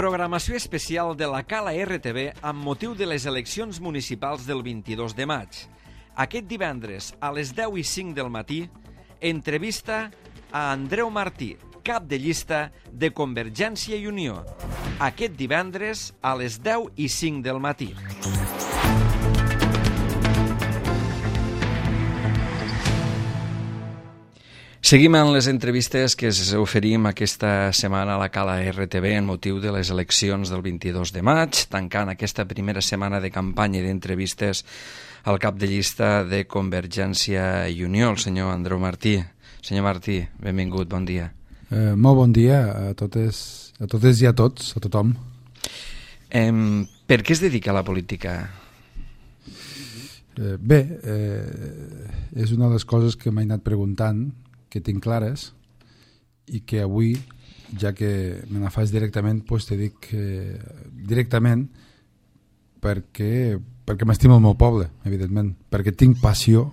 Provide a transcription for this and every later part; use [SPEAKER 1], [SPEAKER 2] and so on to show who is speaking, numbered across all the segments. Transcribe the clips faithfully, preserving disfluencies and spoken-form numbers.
[SPEAKER 1] Programació especial de la Cala R T V amb motiu de les eleccions municipals del vint-i-dos de maig. Aquest divendres, a les deu i cinc del matí, entrevista a Andreu Martí, cap de llista de Convergència i Unió. Aquest divendres, a les deu i cinc del matí. Seguim amb les entrevistes que us oferim aquesta setmana a la Cala R T V en motiu de les eleccions del vint-i-dos de maig, tancant aquesta primera setmana de campanya i d'entrevistes al cap de llista de Convergència i Unió, el senyor Andreu Martí. Senyor Martí, benvingut, bon dia.
[SPEAKER 2] Eh, molt bon dia a totes, a totes i a tots, a tothom.
[SPEAKER 1] Eh, per què es dedica a la política?
[SPEAKER 2] Eh, bé, eh, és una de les coses que m'he anat preguntant, que tinc clares, i que avui, ja que me la fas directament, doncs te dic eh, directament perquè, perquè m'estimo el meu poble, evidentment, perquè tinc passió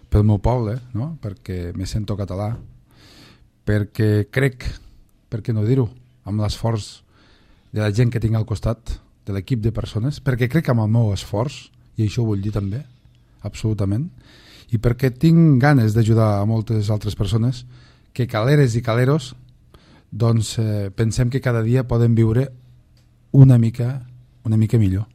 [SPEAKER 2] pel meu poble, no? Perquè me sento català, perquè crec, per què no dir-ho, amb l'esforç de la gent que tinc al costat, de l'equip de persones, perquè crec amb el meu esforç, i això ho vull dir també, absolutament, i perquè tinc ganes d'ajudar a moltes altres persones que caleres i caleros doncs eh, pensem que cada dia poden viure una mica, una mica millor.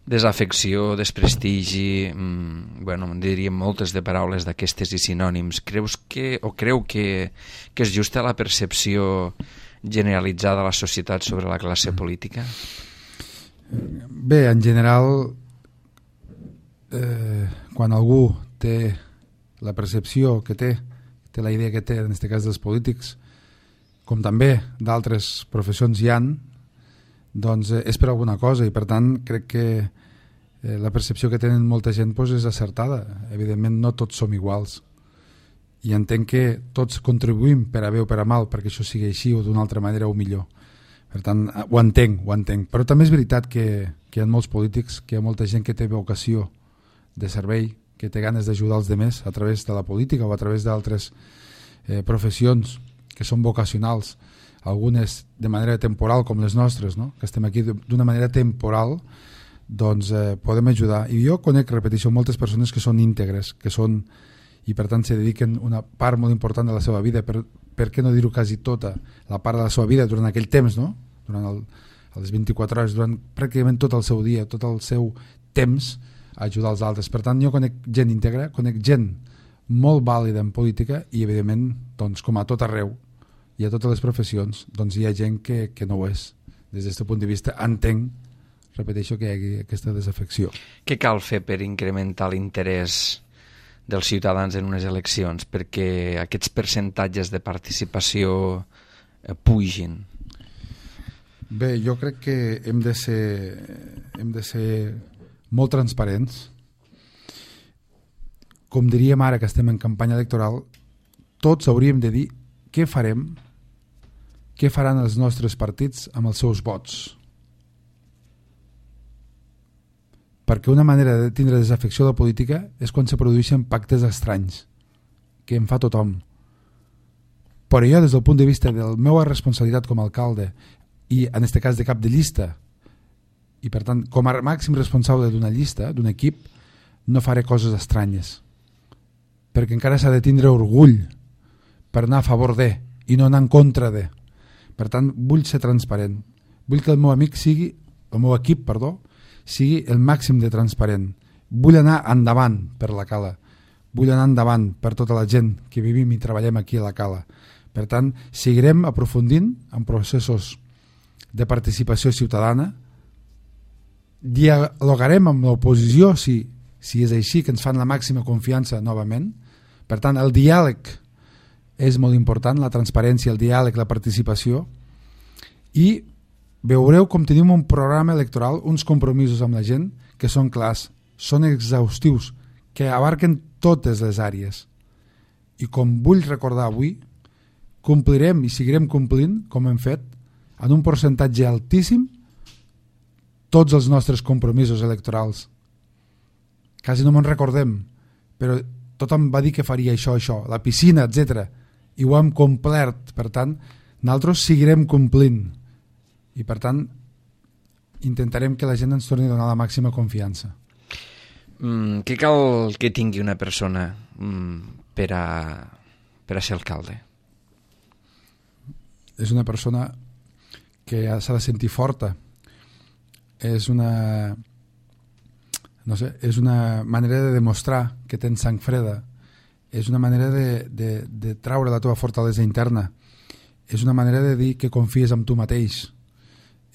[SPEAKER 1] Desafecció, desprestigi, mmm, bueno, diríem moltes de paraules d'aquestes i sinònims. Creus que, o creu que, que és justa la percepció generalitzada a la societat sobre la classe política?
[SPEAKER 2] Bé, en general, eh, quan algú té la percepció que té, té la idea que té, en aquest cas dels polítics, com també d'altres professions hi han, doncs eh, és per alguna cosa, i per tant crec que eh, la percepció que tenen molta gent doncs, és acertada. Evidentment no tots som iguals, i entenc que tots contribuïm per a bé o per a mal perquè això sigui així o d'una altra manera o millor. Per tant, ho entenc, ho entenc. Però també és veritat que, que hi ha molts polítics, que hi ha molta gent que té vocació de servei, que té ganes d'ajudar els demés a través de la política o a través d'altres eh, professions que són vocacionals, algunes de manera temporal com les nostres, no? Que estem aquí d'una manera temporal, doncs eh, podem ajudar. I jo conec, repeteixo, moltes persones que són íntegres, que són, i per tant se dediquen una part molt important de la seva vida, per, per què no dir-ho quasi tota, la part de la seva vida durant aquell temps, no? Durant el, les vint-i-quatre hores, durant pràcticament tot el seu dia, tot el seu temps, a ajudar els altres. Per tant, jo conec gent íntegra, conec gent molt vàlida en política i, evidentment, doncs, com a tot arreu i a totes les professions, doncs hi ha gent que, que no ho és. Des d'aquest punt de vista, entenc, repeteixo, que hi hagi aquesta desafecció.
[SPEAKER 1] Què cal fer per incrementar l'interès dels ciutadans en unes eleccions perquè aquests percentatges de participació eh, pugin?
[SPEAKER 2] Bé, jo crec que hem de ser, hem de ser molt transparents. Com diríem ara que estem en campanya electoral, tots hauríem de dir què farem, què faran els nostres partits amb els seus vots. Perquè una manera de tindre desafecció de la política és quan se produeixen pactes estranys, que en fa tothom. Però jo, des del punt de vista de la meva responsabilitat com a alcalde, i en aquest cas de cap de llista, i per tant com a màxim responsable d'una llista, d'un equip, no faré coses estranyes, perquè encara s'ha de tindre orgull per anar a favor de i no anar en contra de. Per tant, vull ser transparent, vull que el meu amic sigui, el meu equip, perdó, sigui el màxim de transparent. Vull anar endavant per la Cala, vull anar endavant per tota la gent que vivim i treballem aquí a la Cala. Per tant, seguirem aprofundint en processos de participació ciutadana, dialogarem amb l'oposició si, si és així, que ens fan la màxima confiança novament. Per tant, el diàleg és molt important, la transparència, el diàleg, la participació, i veureu com tenim un programa electoral, uns compromisos amb la gent que són clars, són exhaustius, que abarquen totes les àrees. I com vull recordar avui, complirem i seguirem complint, com hem fet, en un percentatge altíssim, tots els nostres compromisos electorals. Quasi no me'n recordem, però tothom va dir que faria això, això, la piscina, etcètera. I ho hem complert. Per tant, nosaltres seguirem complint i per tant intentarem que la gent ens torni a donar la màxima confiança.
[SPEAKER 1] Mm, què cal que tingui una persona mm, per, a, per a ser alcalde?
[SPEAKER 2] És una persona que s'ha de sentir forta, és una no sé, és una manera de demostrar que tens sang freda, és una manera de, de, de traure la teva fortalesa interna, és una manera de dir que confies en tu mateix,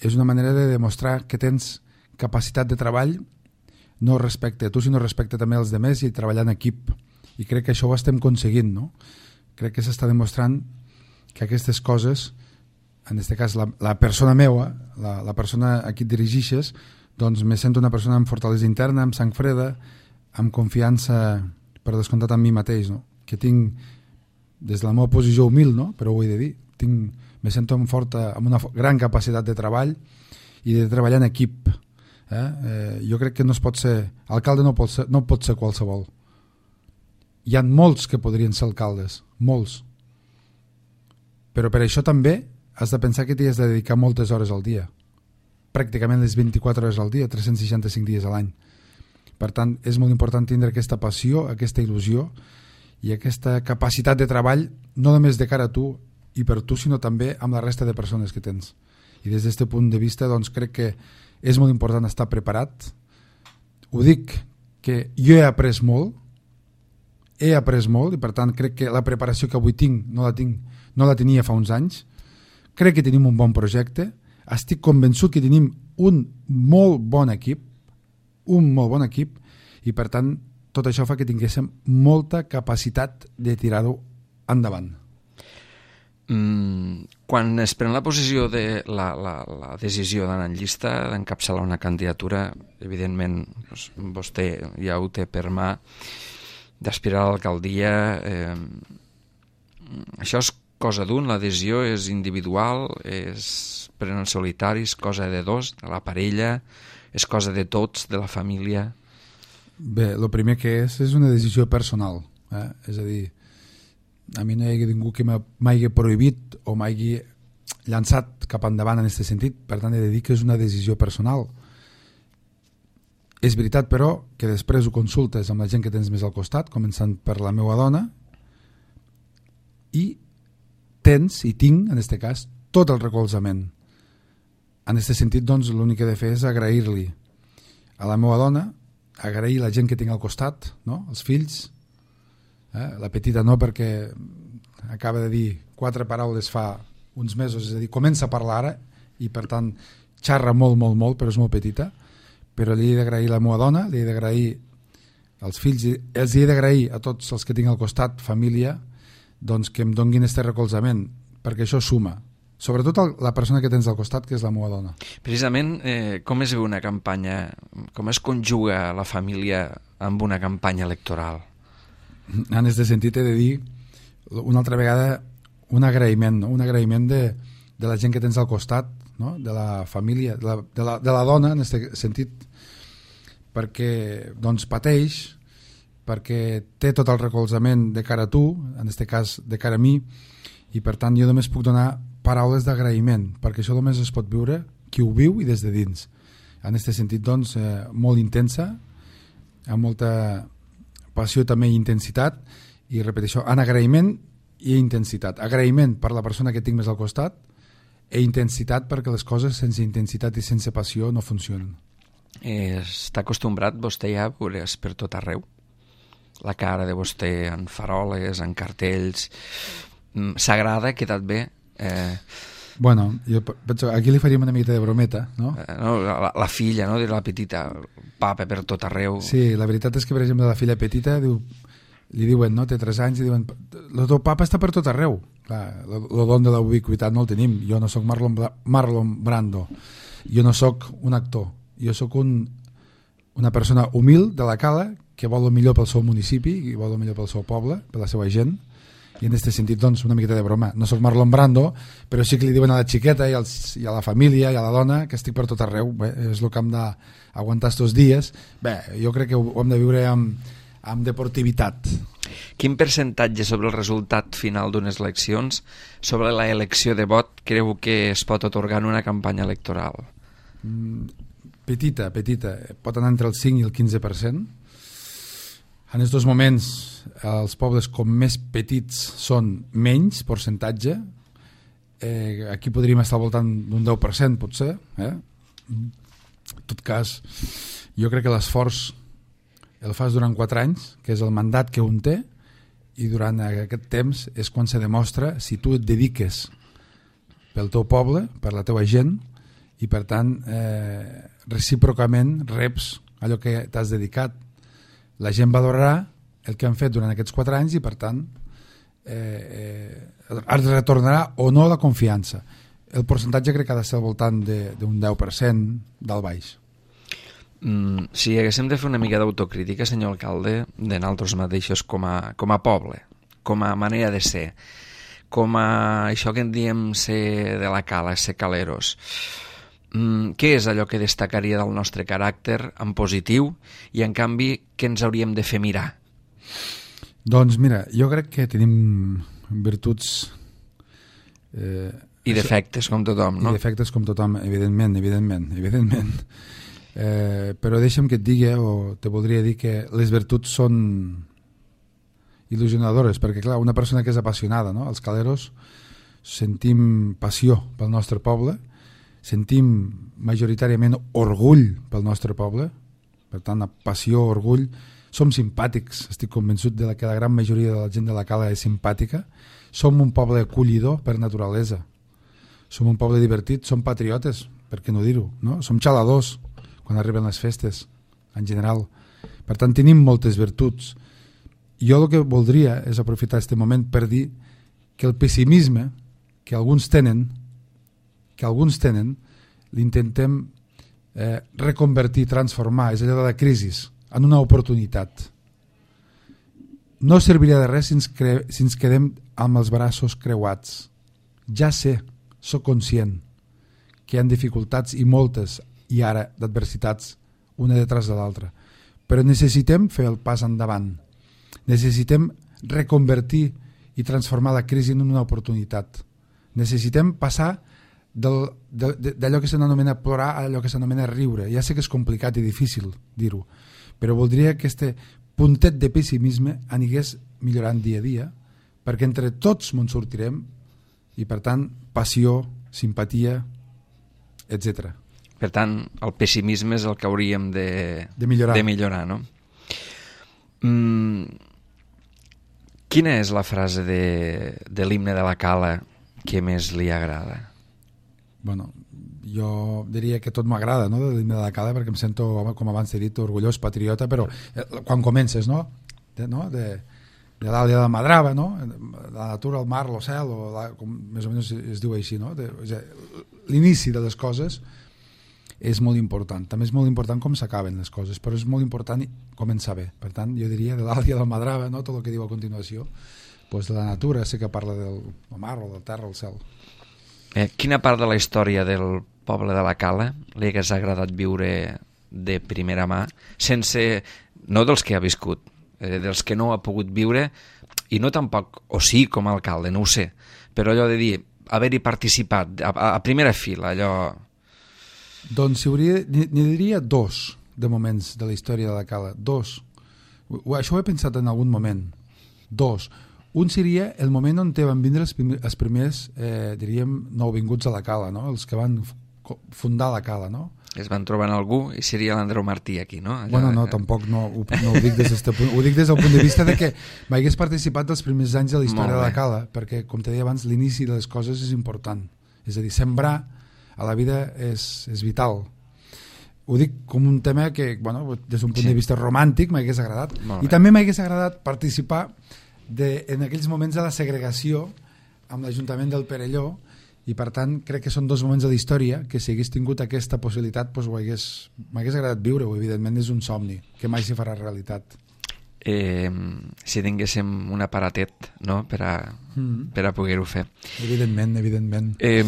[SPEAKER 2] és una manera de demostrar que tens capacitat de treball no respecte a tu, sinó respecte també als demés i treballar en equip. I crec que això ho estem aconseguint, no? Crec que s'està demostrant que aquestes coses, en aquest cas la, la persona meua, la, la persona a qui et dirigixes, doncs me sento una persona amb fortalesa interna, amb sang freda, amb confiança, per descomptat, en mi mateix, no? Que tinc, des de la meva posició humil, no? Però ho he de dir, tinc, me sento amb, forta, amb una gran capacitat de treball i de treballar en equip. Eh? Eh, jo crec que no es pot ser alcalde, no pot ser, no pot ser qualsevol. Hi ha molts que podrien ser alcaldes, molts, però per això també has de pensar que t'hi has de dedicar moltes hores al dia, pràcticament les vint-i-quatre hores al dia, tres-cents seixanta-cinc dies a l'any. Per tant, és molt important tindre aquesta passió, aquesta il·lusió i aquesta capacitat de treball, no només de cara a tu i per tu, sinó també amb la resta de persones que tens. I des d'aquest punt de vista, doncs, crec que és molt important estar preparat. Ho dic que jo he après molt, he après molt, i per tant crec que la preparació que avui tinc no la, tinc, no la tenia fa uns anys. Crec que tenim un bon projecte, estic convençut que tenim un molt bon equip, un molt bon equip, i per tant tot això fa que tinguéssim molta capacitat de tirar-ho endavant.
[SPEAKER 1] Mm, quan es pren la posició de la, la, la decisió d'anar en llista, d'encapçalar una candidatura, evidentment doncs, vostè ja ho té per mà, d'aspirar a l'alcaldia, eh, això és cosa d'un, l'adhesió és individual, és pren en solitari, és cosa de dos, de la parella, és cosa de tots, de la família.
[SPEAKER 2] Bé, el primer que és, és una decisió personal, eh? És a dir, a mi no hi ha ningú que m'hagi prohibit o m'hagi llançat cap endavant en aquest sentit, per tant he de dir que és una decisió personal. És veritat, però, que després ho consultes amb la gent que tens més al costat, començant per la meva dona, i tens, i tinc, en aquest cas, tot el recolzament. En aquest sentit, doncs, l'únic que he de fer és agrair-li a la meva dona, agrair la gent que tinc al costat, no? Els fills, eh? La petita no, perquè acaba de dir quatre paraules fa uns mesos, és a dir, comença a parlar ara, i per tant xarra molt, molt, molt, però és molt petita, però li he d'agrair a la meva dona, li he d'agrair als fills, els he d'agrair a tots els que tinc al costat, família, doncs que em donguin aquest recolzament, perquè això suma. Sobretot el, la persona que tens al costat, que és la meva dona.
[SPEAKER 1] Precisament, eh, com es veu una campanya, com es conjuga la família amb una campanya electoral?
[SPEAKER 2] En aquest sentit he de dir una altra vegada un agraïment, no? Un agraïment de, de la gent que tens al costat, no? De la família, de la, de la, de la dona, en aquest sentit, perquè doncs pateix, perquè té tot el recolzament de cara a tu, en aquest cas de cara a mi, i per tant jo només puc donar paraules d'agraïment, perquè això només es pot viure qui ho viu i des de dins. En aquest sentit, doncs, eh, molt intensa, amb molta passió també i intensitat, i repeteixo, en agraïment i intensitat. Agraïment per la persona que tinc més al costat i intensitat perquè les coses sense intensitat i sense passió no funcionen.
[SPEAKER 1] Eh, està acostumbrat vostè ja a veure's per tot arreu? La cara de vostè en faroles, en cartells, s'agrada, ha quedat bé? Eh...
[SPEAKER 2] Bueno, jo penso, aquí li faríem una miqueta de brometa, no?
[SPEAKER 1] Eh, no la, la filla, no?, de la petita, papa per tot arreu.
[SPEAKER 2] Sí, la veritat és que, per exemple, la filla petita diu, li diuen, no?, té tres anys, i diuen, el teu papa està per tot arreu. Clar, el don de la ubiquitat no el tenim. Jo no sóc Marlon, Marlon Brando, jo no sóc un actor, jo sóc un, una persona humil de la cala que vol el millor pel seu municipi i vol el millor pel seu poble, per la seva gent. I en aquest sentit, doncs, una miqueta de broma. No soc Marlon Brando, però sí que li diuen a la xiqueta i, als, i a la família i a la dona que estic per tot arreu. Bé, és el que hem d'aguantar estos dies. Bé, jo crec que ho hem de viure amb, amb deportivitat.
[SPEAKER 1] quin percentatge sobre el resultat final d'unes eleccions, sobre la elecció de vot, creu que es pot atorgar en una campanya electoral?
[SPEAKER 2] Mm, petita, petita. Pot anar entre el cinc i el quinze per cent. En aquests moments, els pobles com més petits són menys percentatge. Eh, aquí podríem estar al voltant d'un deu per cent, potser. Eh? En tot cas, jo crec que l'esforç el fas durant quatre anys, que és el mandat que un té, i durant aquest temps és quan se demostra si tu et dediques pel teu poble, per la teua gent, i per tant eh, recíprocament reps allò que t'has dedicat. La gent valorarà el que han fet durant aquests quatre anys i per tant eh, eh, es retornarà o no la confiança. El percentatge crec que ha de ser al voltant d'un deu per cent del baix.
[SPEAKER 1] Mm, si haguéssim de fer una mica d'autocrítica, senyor alcalde, de nosaltres mateixos com a, com a poble, com a manera de ser, com a això que en diem ser de la cala, ser caleros, mm, què és allò que destacaria del nostre caràcter en positiu i en canvi què ens hauríem de fer mirar?
[SPEAKER 2] Doncs mira, jo crec que tenim virtuts eh,
[SPEAKER 1] i defectes com tothom, no?
[SPEAKER 2] I defectes com tothom, evidentment, evidentment, evidentment. Eh, però deixa'm que et digui, o te voldria dir que les virtuts són il·lusionadores, perquè clar, una persona que és apassionada, no? Els caleros sentim passió pel nostre poble, sentim majoritàriament orgull pel nostre poble, per tant, passió, orgull, som simpàtics, estic convençut de que la gran majoria de la gent de la cala és simpàtica, som un poble acollidor per naturalesa, som un poble divertit, som patriotes, per què no dir-ho, no? Som xaladors quan arriben les festes, en general. Per tant, tenim moltes virtuts. Jo el que voldria és aprofitar aquest moment per dir que el pessimisme que alguns tenen, que alguns tenen, l'intentem eh, reconvertir, transformar, és allò de la crisi, en una oportunitat. No serviria de res si ens, cre... si ens quedem amb els braços creuats. Ja sé, sóc conscient que hi ha dificultats i moltes, i ara d'adversitats una detrás de l'altra, però necessitem fer el pas endavant, necessitem reconvertir i transformar la crisi en una oportunitat, necessitem passar d'allò que s'anomena plorar a allò que s'anomena riure. Ja sé que és complicat i difícil dir-ho, però voldria que este puntet de pessimisme anigués millorant dia a dia, perquè entre tots me'n sortirem i per tant passió, simpatia, etcètera.
[SPEAKER 1] Per tant, el pessimisme és el que hauríem de,
[SPEAKER 2] de millorar,
[SPEAKER 1] de millorar, no? Mm, quina és la frase de, de l'himne de la cala que més li agrada?
[SPEAKER 2] Bueno, jo diria que tot m'agrada, no?, de l'himne de la cala, perquè em sento, com abans he dit, orgullós, patriota, però eh, quan comences, no?, de, no? de, de l'Àlia de Madrava, no?, la natura, el mar, el cel, o la, com més o menys es diu així, no?, de, o sigui, l'inici de les coses és molt important. També és molt important com s'acaben les coses, però és molt important començar bé. Per tant, jo diria de l'Àlia del Madrava, no? Tot el que diu a continuació, doncs de la natura, sé que parla del mar, o del terra, el cel.
[SPEAKER 1] Eh, quina part de la història del poble de la Cala li hagués agradat viure de primera mà, sense, no dels que ha viscut, eh, dels que no ha pogut viure, i no tampoc, o sí, com a alcalde, no ho sé, però allò de dir, haver-hi participat a, a primera fila, allò...
[SPEAKER 2] Doncs si hauria, n'hi diria dos de moments de la història de la Cala, dos. Això ho he pensat en algun moment. Dos. Un seria el moment on te van vindre els, els primers, eh, diríem, nouvinguts a la Cala, no? Els que van fundar la Cala, no?
[SPEAKER 1] Es van trobar en algú i seria l'Andreu Martí aquí, no? Allò...
[SPEAKER 2] Bueno, no, tampoc no, ho, no ho dic des del punt, ho dic des del punt de vista de que m'hagués participat dels primers anys de la història de la Cala, perquè, com te deia abans, l'inici de les coses és important. És a dir, sembrar a la vida és, és vital. Ho dic com un tema que, bueno, des d'un punt sí. de vista romàntic m'hagués agradat. I també m'hagués agradat participar de, en aquells moments de la segregació amb l'Ajuntament del Perelló, i per tant crec que són dos moments de la història que si hagués tingut aquesta possibilitat doncs m'hagués agradat viure-ho. Evidentment és un somni que mai s'hi farà realitat.
[SPEAKER 1] Eh, si tinguéssim un aparatet, no?, per a, mm. per a poder-ho fer.
[SPEAKER 2] Evidentment, evidentment.
[SPEAKER 1] Eh,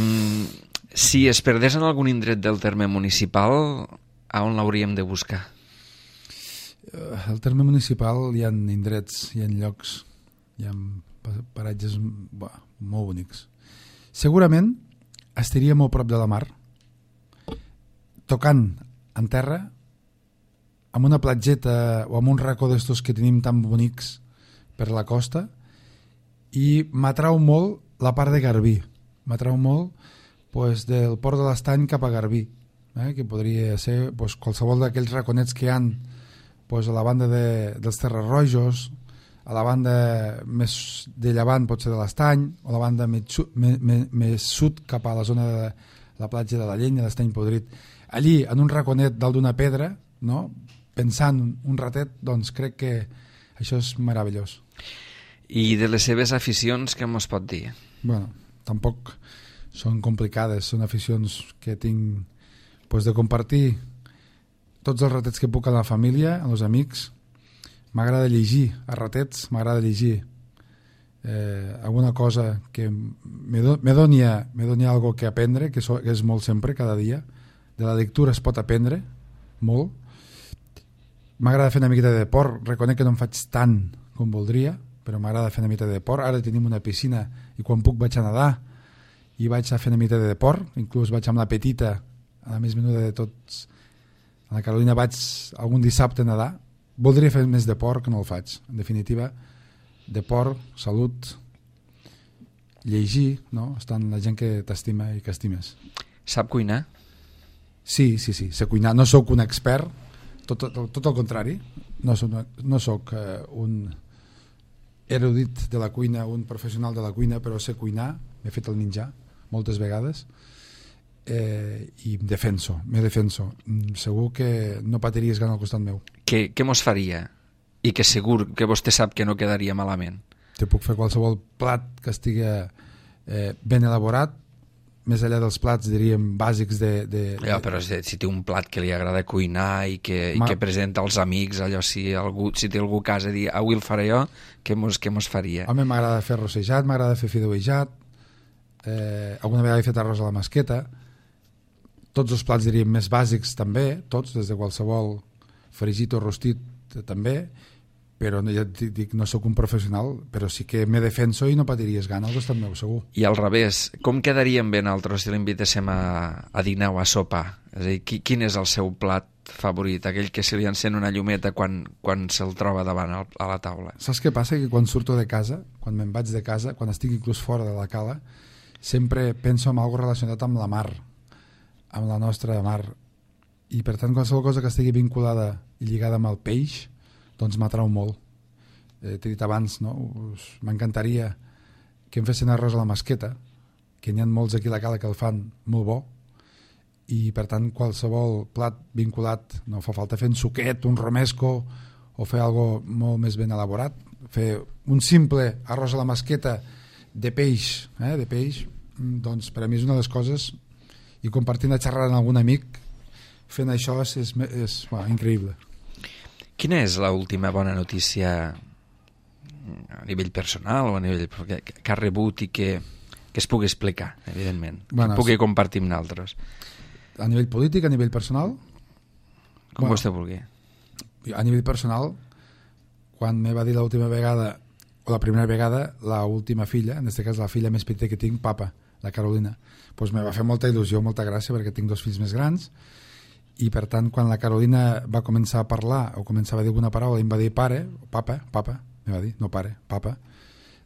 [SPEAKER 1] si es perdés en algun indret del terme municipal, a on l'hauríem de buscar?
[SPEAKER 2] Al terme municipal hi ha indrets, hi ha llocs hi ha paratges bah, molt bonics. Segurament estaria molt prop de la mar, tocant en terra, amb una platgeta o amb un racó d'estos que tenim tan bonics per la costa, i m'atrau molt la part de Garbí, m'atrau molt pues, del port de l'Estany cap a Garbí, eh? que podria ser pues, qualsevol d'aquells raconets que hi ha pues, a la banda de, dels Terres Rojos, a la banda més de llevant pot ser de l'Estany, o a la banda més, sud, més, més, més sud cap a la zona de la platja de la Llenya, l'Estany Podrit. Allí, en un raconet dalt d'una pedra, no? Pensant un ratet, doncs crec que això és meravellós.
[SPEAKER 1] I de les seves aficions, què mos pot dir?
[SPEAKER 2] Bueno, tampoc són complicades, són aficions que tinc pues, de compartir tots els ratets que puc amb la família, amb els amics. M'agrada llegir a ratets, m'agrada llegir eh, alguna cosa que me, do, me doni, me doni algo que aprendre, que, so, que és molt sempre, cada dia. De la lectura es pot aprendre molt. M'agrada fer una miqueta de deport, reconec que no en faig tant com voldria, però m'agrada fer una miqueta de deport. Ara tenim una piscina i quan puc vaig a nedar i vaig a fer una miqueta de deport, inclús vaig amb la petita, a la més menuda de tots, a la Carolina vaig algun dissabte a nedar. Voldria fer més deport que no el faig. En definitiva, deport, salut, llegir, no? Estan la gent que t'estima i que estimes.
[SPEAKER 1] Sap cuinar?
[SPEAKER 2] Sí, sí, sí, sé cuinar. No sóc un expert, tot, tot, tot el contrari. No soc, no soc uh, un erudit de la cuina, un professional de la cuina, però sé cuinar. M'he fet el menjar moltes vegades eh, i em defenso, me defenso. Segur que no patiries gana al costat meu.
[SPEAKER 1] Què, què mos faria? I que segur que vostè sap que no quedaria malament.
[SPEAKER 2] Te puc fer qualsevol plat que estigui eh, ben elaborat, més enllà dels plats, diríem, bàsics de... de, de...
[SPEAKER 1] Ja, però si, si té un plat que li agrada cuinar i que, Ma... i que presenta als amics, allò, si, algú, si té algú a casa i dir, avui el faré jo, què mos, què mos faria?
[SPEAKER 2] Home, m'agrada fer rossejat, m'agrada fer fideuejat, eh, alguna vegada he fet arròs a la masqueta, tots els plats, diríem, més bàsics també, tots, des de qualsevol fregit o rostit també, però no, ja et dic, no sóc un professional, però sí que me defenso i no patiries gana al costat meu, segur.
[SPEAKER 1] I al revés, com quedaríem bé nosaltres si l'invitéssim a, a dinar o a sopar? És a dir, qui, quin és el seu plat favorit, aquell que se li encén una llumeta quan, quan se'l troba davant al, a la taula?
[SPEAKER 2] Saps què passa? Que quan surto de casa, quan me'n vaig de casa, quan estic inclús fora de la cala, sempre penso en alguna relacionat amb la mar, amb la nostra mar, i per tant qualsevol cosa que estigui vinculada i lligada amb el peix doncs m'atrau molt. Eh, t'he dit abans, no? M'encantaria que em fessin arròs a la masqueta, que n'hi ha molts aquí a la cala que el fan molt bo, i per tant qualsevol plat vinculat, no fa falta fer un suquet, un romesco, o fer algo molt més ben elaborat, fer un simple arròs a la masqueta de peix, eh, de peix, doncs per a mi és una de les coses, i compartint la xerrada amb algun amic, fent això és, és, és bueno, increïble.
[SPEAKER 1] Quina és l'última bona notícia a nivell personal o a nivell que, que ha rebut i que, que es pugui explicar, evidentment,
[SPEAKER 2] bueno,
[SPEAKER 1] que pugui compartir amb nosaltres?
[SPEAKER 2] A nivell polític, a nivell personal?
[SPEAKER 1] Com bueno, vostè vulgui.
[SPEAKER 2] A nivell personal, quan me va dir l'última vegada, o la primera vegada, l'última filla, en aquest cas la filla més petita que tinc, Papa, la Carolina, doncs me va fer molta il·lusió, molta gràcia, perquè tinc dos fills més grans, i per tant quan la Carolina va començar a parlar o començava a dir alguna paraula i em va dir pare, papa, papa, me va dir, no pare, papa,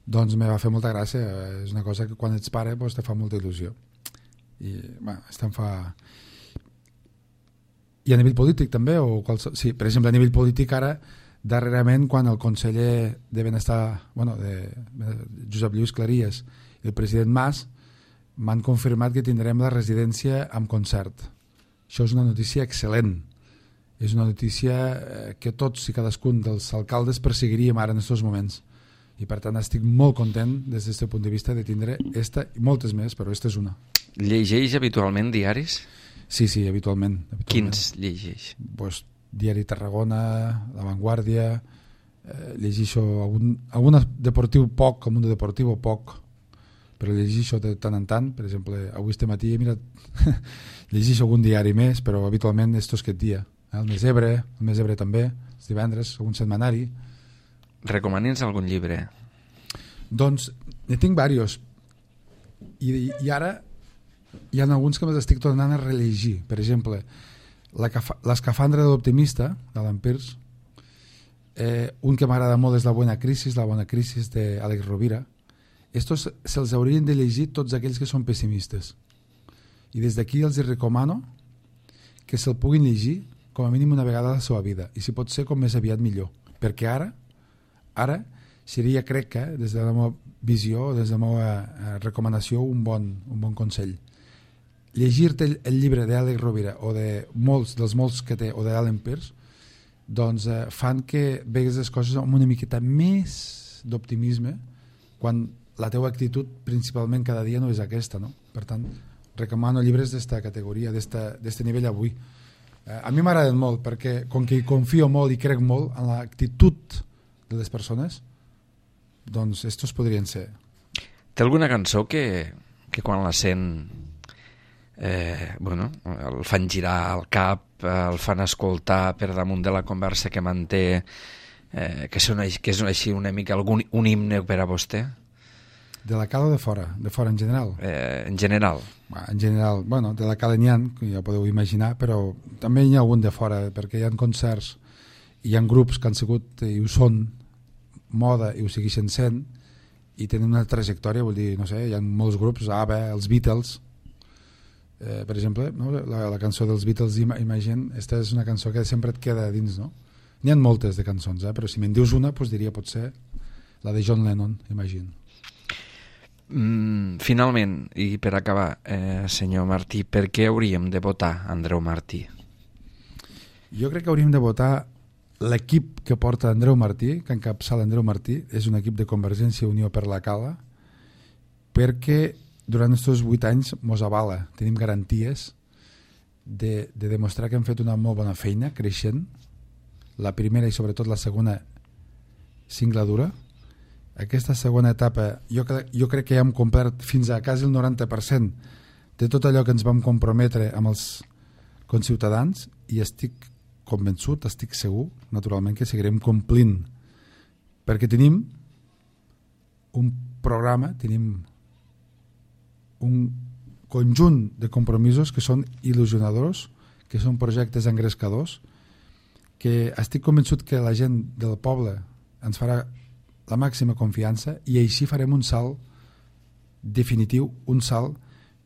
[SPEAKER 2] doncs me va fer molta gràcia. És una cosa que quan ets pare doncs te fa molta il·lusió i bueno, em fa... I a nivell polític també o qualsevol... sí, per exemple a nivell polític ara darrerament quan el conseller de Benestar, bueno, de Josep Lluís Claries i el president Mas m'han confirmat que tindrem la residència amb concert. Això és una notícia excel·lent. És una notícia que tots i cadascun dels alcaldes perseguiríem ara en aquests moments. I per tant estic molt content des d'aquest punt de vista de tindre esta i moltes més, però aquesta és una.
[SPEAKER 1] Llegeix habitualment diaris?
[SPEAKER 2] Sí, sí, habitualment. habitualment.
[SPEAKER 1] Quins llegeix?
[SPEAKER 2] Pues, Diari Tarragona, La Vanguardia, eh, llegeixo algun, algun deportiu poc, com un deportiu poc, però llegeixo de tant en tant. Per exemple, avui este matí he mirat llegeixo algun diari més, però habitualment estos aquest dia. El Més Ebre, el Més Ebre també, els divendres, algun setmanari.
[SPEAKER 1] Recomani'ns algun llibre.
[SPEAKER 2] Doncs ne tinc diversos. I, i ara hi ha alguns que m'estic tornant a rellegir. Per exemple, l'Escafandra de l'Optimista, d'Alan Pearce, eh, un que m'agrada molt és La Buena Crisis, La Bona Crisis d'Àlex Rovira. Estos se'ls haurien de llegir tots aquells que són pessimistes. I des d'aquí els recomano que se'l puguin llegir com a mínim una vegada a la seva vida, i si pot ser com més aviat millor, perquè ara ara seria, crec que des de la meva visió, des de la meva recomanació, un bon, un bon consell. Llegir-te el, el llibre d'Àlex Rovira o de molts dels molts que té, o d'Alan Pearce, doncs eh, fan que vegues les coses amb una miqueta més d'optimisme quan la teva actitud principalment cada dia no és aquesta, no? Per tant, recomano llibres d'esta categoria, d'este nivell avui. Eh, a mi m'agraden molt perquè com que confio molt i crec molt en l'actitud de les persones, doncs estos podrien ser.
[SPEAKER 1] Té alguna cançó que, que quan la sent eh, bueno, el fan girar al cap, el fan escoltar per damunt de la conversa que manté, eh, que, són, que és així una mica algun, un himne per a vostè?
[SPEAKER 2] De la cala o de fora? De fora en general?
[SPEAKER 1] Eh, en general.
[SPEAKER 2] En general, bueno, de la cala n'hi ha, que ja podeu imaginar, però també hi ha algun de fora, perquè hi ha concerts, hi ha grups que han sigut i ho són moda i ho segueixen sent i tenen una trajectòria, vull dir, no sé, hi ha molts grups, A B B, els Beatles, eh, per exemple, no? la, la cançó dels Beatles, Imagine, esta és una cançó que sempre et queda dins, no? N'hi ha moltes de cançons, eh? Però si me'n dius una, doncs diria potser la de John Lennon, Imagine.
[SPEAKER 1] Mm, finalment, i per acabar, eh, senyor Martí, per què hauríem de votar Andreu Martí?
[SPEAKER 2] Jo crec que hauríem de votar l'equip que porta Andreu Martí, que encapçala Andreu Martí, és un equip de Convergència i Unió per la Cala, perquè durant aquests vuit anys mos avala, tenim garanties de, de demostrar que hem fet una molt bona feina, creixent, la primera i sobretot la segona singladura. Aquesta segona etapa jo, jo crec que ja hem complert fins a quasi el noranta per cent de tot allò que ens vam comprometre amb els conciutadans, i estic convençut, estic segur, naturalment, que seguirem complint, perquè tenim un programa, tenim un conjunt de compromisos que són il·lusionadors, que són projectes engrescadors, que estic convençut que la gent del poble ens farà la màxima confiança, i així farem un salt definitiu, un salt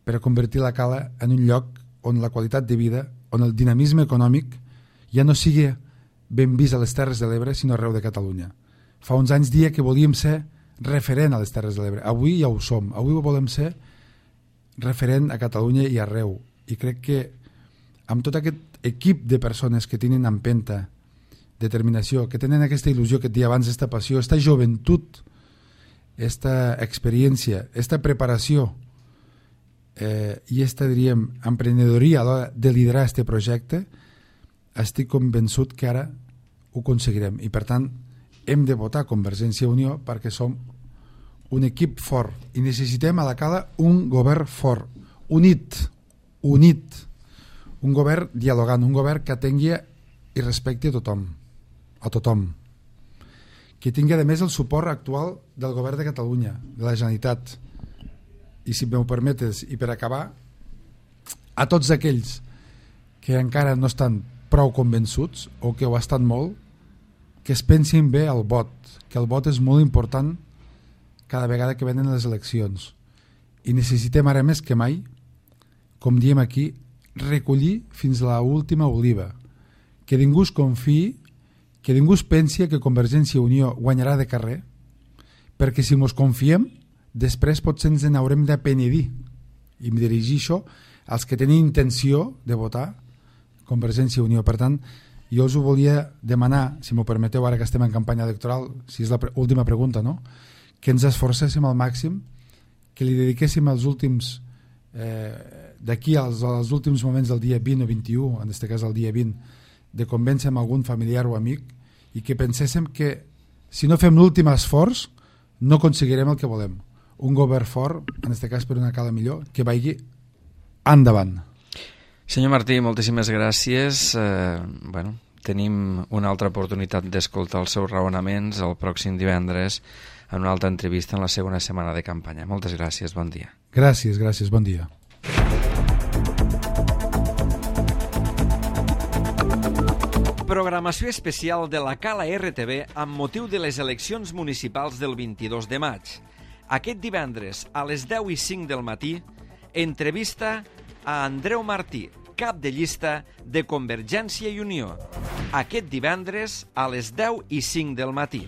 [SPEAKER 2] per a convertir la Cala en un lloc on la qualitat de vida, on el dinamisme econòmic ja no sigui ben vist a les Terres de l'Ebre, sinó arreu de Catalunya. Fa uns anys dia que volíem ser referent a les Terres de l'Ebre. Avui ja ho som. Avui volem ser referent a Catalunya i arreu. I crec que amb tot aquest equip de persones que tenen empenta, determinació, que tenen aquesta il·lusió que et deia abans, aquesta passió, aquesta joventut, aquesta experiència, aquesta preparació eh, i aquesta, diríem, emprenedoria a l'hora de liderar aquest projecte, estic convençut que ara ho aconseguirem. I per tant hem de votar Convergència i Unió perquè som un equip fort i necessitem a la Cala un govern fort, unit, unit, un govern dialogant, un govern que tingui i respecti a tothom, a tothom, que tingui a més el suport actual del govern de Catalunya, de la Generalitat. I si m'ho permetes, i per acabar, a tots aquells que encara no estan prou convençuts o que ho estan molt, que es pensin bé al vot, que el vot és molt important cada vegada que venen les eleccions, i necessitem ara més que mai, com diem aquí, recollir fins a l'última oliva, que ningú es confiï, que ningú es pensi que Convergència i Unió guanyarà de carrer, perquè si mos confiem després potser ens n'haurem de penedir, i em dirigir això als que tenen intenció de votar Convergència i Unió. Per tant, jo us ho volia demanar, si m'ho permeteu, ara que estem en campanya electoral, si és l'última pregunta, no? Que ens esforcéssim al màxim, que li dediquéssim els últims eh, d'aquí als, als últims moments del dia vint o vint-i-u, en aquest cas el dia vint, de convèncer amb algun familiar o amic, i que penséssim que si no fem l'últim esforç no aconseguirem el que volem, un govern fort, en aquest cas per una Cala millor, que vagi endavant.
[SPEAKER 1] Senyor Martí, moltíssimes gràcies. Eh, bueno, tenim una altra oportunitat d'escoltar els seus raonaments el pròxim divendres en una altra entrevista en la segona setmana de campanya. Moltes gràcies, bon dia.
[SPEAKER 2] Gràcies, gràcies, bon dia.
[SPEAKER 1] Programació especial de la Cala R T V amb motiu de les eleccions municipals del vint-i-dos de maig. Aquest divendres, a les deu i cinc del matí, entrevista a Andreu Martí, cap de llista de Convergència i Unió. Aquest divendres, a les deu i cinc del matí.